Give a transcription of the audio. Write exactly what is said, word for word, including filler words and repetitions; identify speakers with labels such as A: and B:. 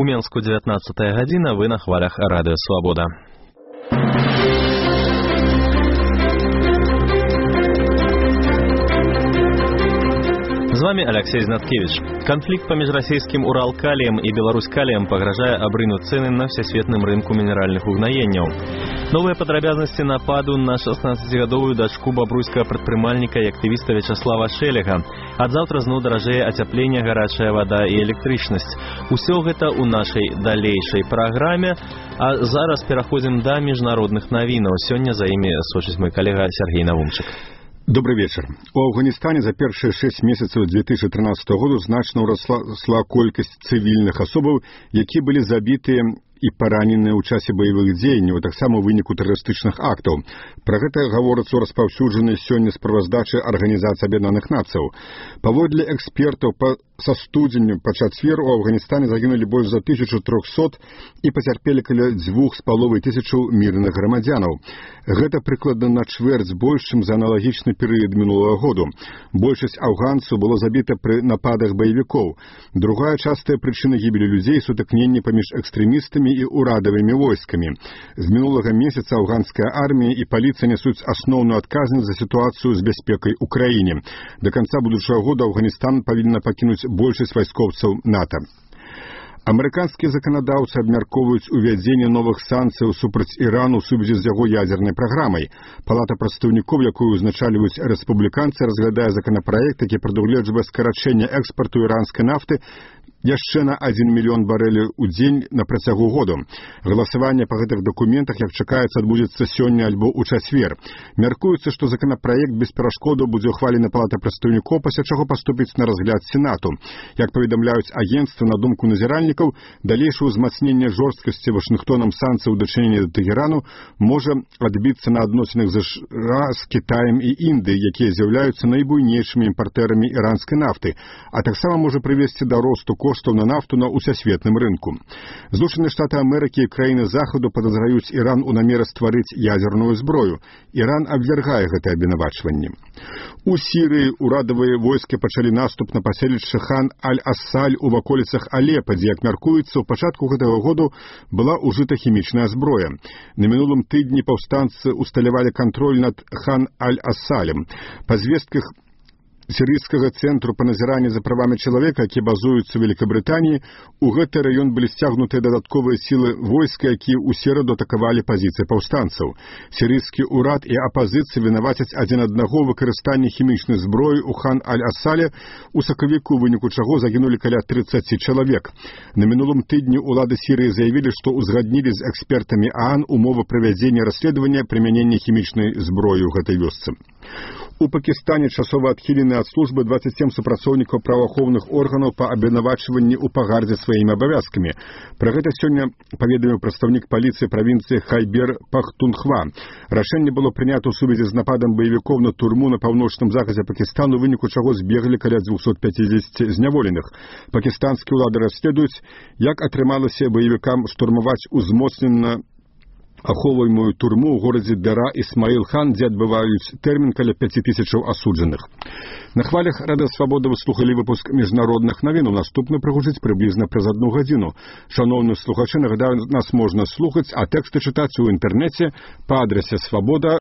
A: Мінску дзевятнаццатая гадзіна, вы на хвалях Радыё Свабода. З вами Алексей Знаткевич. Конфликт поміж российским Уралкалием и Беларуськалием погрожая обрынуть цены на всесветным рынку минеральных угнаенняў. Новые падрабязнасці нападу на шестнадцатигадовую дачку бабруйскага прадпрымальніка і актывіста Вячеслава Шелега. Ад заўтра зноў даражэе ацяпленне, гарачая вада і электрычнасць. Усё гэта ў нашай далейшай праграме, а зараз пераходзім да міжнародных навінаў. Сёння за імі сочыць мой калега Сергей Навумчык.
B: Добрый вечер. У Афганистане за первые шесть месяцев две тысячи тринадцатого года значно уросла колькасць цивільных асобаў, які былі забітыя і параненыя ў часе баявых дзеянняў, таксама ў выніку тэрарыстычных актаў. Пра гэта гаворыцца ў распаўсюджанай сёння справаздачы Арганізацыі Аб'яднаных Нацыяў. Паводле экспертаў, па са студзеня па чацвер у Афганістане загінулі больш за тысячу трохсот і пацярпелі каля дзвюх з паловай тысячаў мірных грамадзянаў. Гэта прыкладна на чвэрць больш, чым за аналагічны перыяд мінулага году. Большасць афганцаў было забіта пры нападах баевікоў. Другая частая прычына гібелі людзей — сутыкненні паміж экстрэмістамі і урадавымі войскамі. З мінулага месяца афганская армія і паліцыя нясуць асноўную адказнасць за сітуацыю з бяспекай у краіне. Да канца будучага года Афганістан павінна пакінуць большасць вайскоўцаў НАТО. Амерыканскія заканадаўцы абмяркоўваюць увядзенне новых санкцыяў супраць Ірану ў сувязі з яго ядзернай праграмай. Палата прадстаўнікоў, якую узначальваюць рэспубліканцы, разглядае законапраект, які прадугледжвае скарачэнне экспарту іранскай нафты яшчэ на адзін мільён барэляў у дзень на працягу году. Галасаванне па гэтых дакументах, як чакаецца, адбудзецца сёння альбо ў чацвер. Мяркуецца, што законапраект без перашкодаў будзе ўхвалены Палатай прадстаўнікоў, пасля чаго паступіць на разгляд Сенату. Як паведамляюць агенцтвы, на думку назіральнікаў, далейшае ўзмацненне жорсткасці Вашынгтонам санкцыяў у дачыненні да Тэгэрану можа адбіцца на адносінах ЗША з Кітаем і Індыяй, якія з'яўляюцца найбуйнейшымі імпартэрамі іранскай нафты, а таксама можа прывесці да росту коштаў на нафту на ўсесветным рынку. Злучаныя Штаты Амерыкі і краіны Захаду падазраюць Іран у намеры стварыць ядзерную зброю. Іран абвяргае гэтае абвінавачванне. У Сірыі урадавыя войскі пачалі наступ на паселішча Хан Аль-Ассаль у ваколіцах Алепа, дзе, як мяркуецца, у пачатку гэтага году была ўжыта хімічная зброя. На мінулым тыдні паўстанцы усталявалі кантроль над Хан Аль-Ассалем. Па звестках сірыйскага цэнтру па назіранні за правамі чалавека, які базуюцца ў Великабрытаніі, у гэты раён былі сцягнутыя дадатковыя сілы войска, якія ў сераду атакавалі пазіцыі паўстанцаў. Сірыйскі ўрад і апазіцыя вінавацяць адзін аднаго ў выкарыстанні хімічнай зброі ў Хан Аль-Ассале, у сакавіку, у выніку чаго загінулі каля трыццаці чалавек. На мінулым тыдні ўлады Сірыі заявілі, што ўзгаднілі з экспертамі ААН умовы правядзення расследавання прымянення хімічнай зброі ў гэтай вёсцы. У Пакістане часова адхілены ад службы дваццаць сем супрацоўнікаў праваахоўных органаў па абвінавачванні ў пагардзе сваімі абавязкамі. Пра гэта сёння паведаміў прадстаўнік паліцыі правінцыі Хайбер Пахтунхва. Рашэнне было прынята ў сувязі з нападам баевікоў на турму на паўночным захадзе Пакістану, у выніку чаго збеглі каля дзвюсот пяцідзесяці зняволеных. Пакістанскія ўлады расследуюць, як атрымалася баевікам штурмаваць узмоцнена ахоўваемую турму ў горадзе Дара Ісмаіл-хан, дзе адбываюць тэрмін каля пяці тысячаў асуджаных. На хвалях Радыё Свабода вы слухалі выпуск міжнародных навін. Наступны прагучыць прыблізна праз адну гадзіну. Шаноўныя слухачы, нагадаю, нас можна слухаць, а тэксты чытаць у інтэрнэце па адрасе свабода